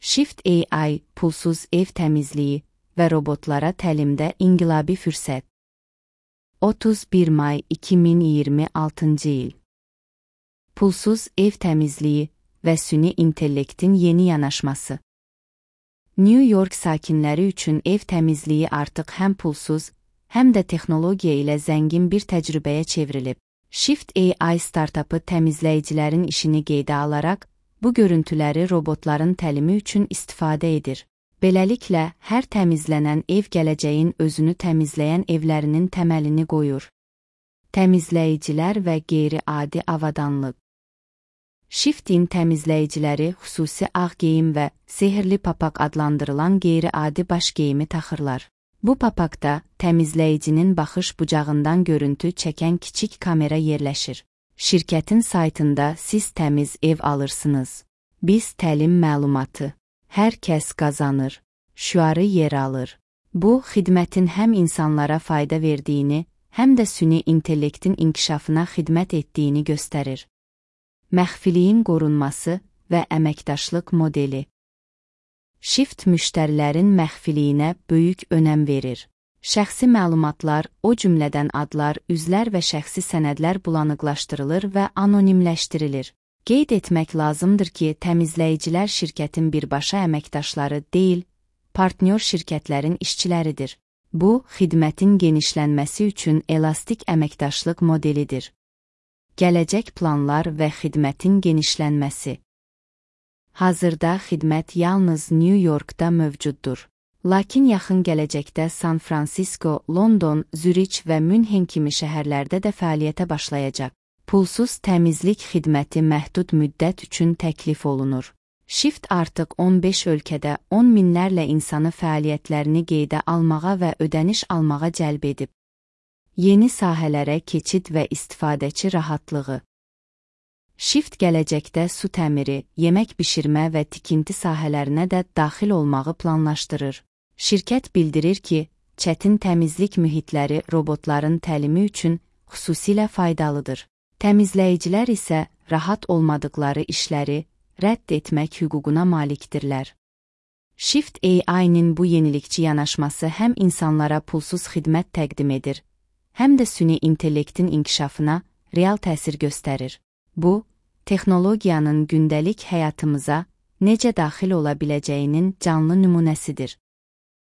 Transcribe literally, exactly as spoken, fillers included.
Shift A I, pulsuz ev təmizliyi və robotlara təlimdə inqilabi fürsət. otuz bir may iki min iyirmi altıncı il. Pulsuz ev təmizliyi və süni intellektin yeni yanaşması. New York sakinləri üçün ev təmizliyi artıq həm pulsuz, həm də texnologiya ilə zəngin bir təcrübəyə çevrilib. Shift A I startapı təmizləyicilərin işini qeydə alaraq, bu görüntüləri robotların təlimi üçün istifadə edir. Beləliklə, hər təmizlənən ev gələcəyin özünü təmizləyən evlərinin təməlini qoyur. Təmizləyicilər və qeyri-adi avadanlıq. Shift-in təmizləyiciləri xüsusi ağ geyim və sehirli papaq adlandırılan qeyri-adi baş geyimi taxırlar. Bu papaqda təmizləyicinin baxış bucağından görüntü çəkən kiçik kamera yerləşir. Şirkətin saytında siz təmiz ev alırsınız. Biz təlim məlumatı. Hər kəs qazanır. Şüarı yer alır. Bu, xidmətin həm insanlara fayda verdiyini, həm də süni intellektin inkişafına xidmət etdiyini göstərir. Məxfiliyin qorunması və əməkdaşlıq modeli. Shift müştərilərin məxfiliyinə böyük önəm verir. Şəxsi məlumatlar, o cümlədən adlar, üzlər və şəxsi sənədlər bulanıqlaşdırılır və anonimləşdirilir. Qeyd etmək lazımdır ki, təmizləyicilər şirkətin birbaşa əməkdaşları deyil, partnyor şirkətlərin işçiləridir. Bu, xidmətin genişlənməsi üçün elastik əməkdaşlıq modelidir. Gələcək planlar və xidmətin genişlənməsi. Hazırda xidmət yalnız New Yorkda mövcuddur. Lakin yaxın gələcəkdə San Francisco, London, Zürich və Münhen kimi şəhərlərdə də fəaliyyətə başlayacaq. Pulsuz təmizlik xidməti məhdud müddət üçün təklif olunur. Shift artıq on beş ölkədə on minlərlə insanı fəaliyyətlərini qeydə almağa və ödəniş almağa cəlb edib. Yeni sahələrə keçid və istifadəçi rahatlığı. Shift gələcəkdə su təmiri, yemək bişirmə və tikinti sahələrinə də daxil olmağı planlaşdırır. Şirkət bildirir ki, çətin təmizlik mühitləri robotların təlimi üçün xüsusilə faydalıdır. Təmizləyicilər isə rahat olmadıqları işləri rədd etmək hüququna malikdirlər. Shift A I-nin bu yenilikçi yanaşması həm insanlara pulsuz xidmət təqdim edir, həm də süni intellektin inkişafına real təsir göstərir. Bu, texnologiyanın gündəlik həyatımıza necə daxil ola biləcəyinin canlı nümunəsidir.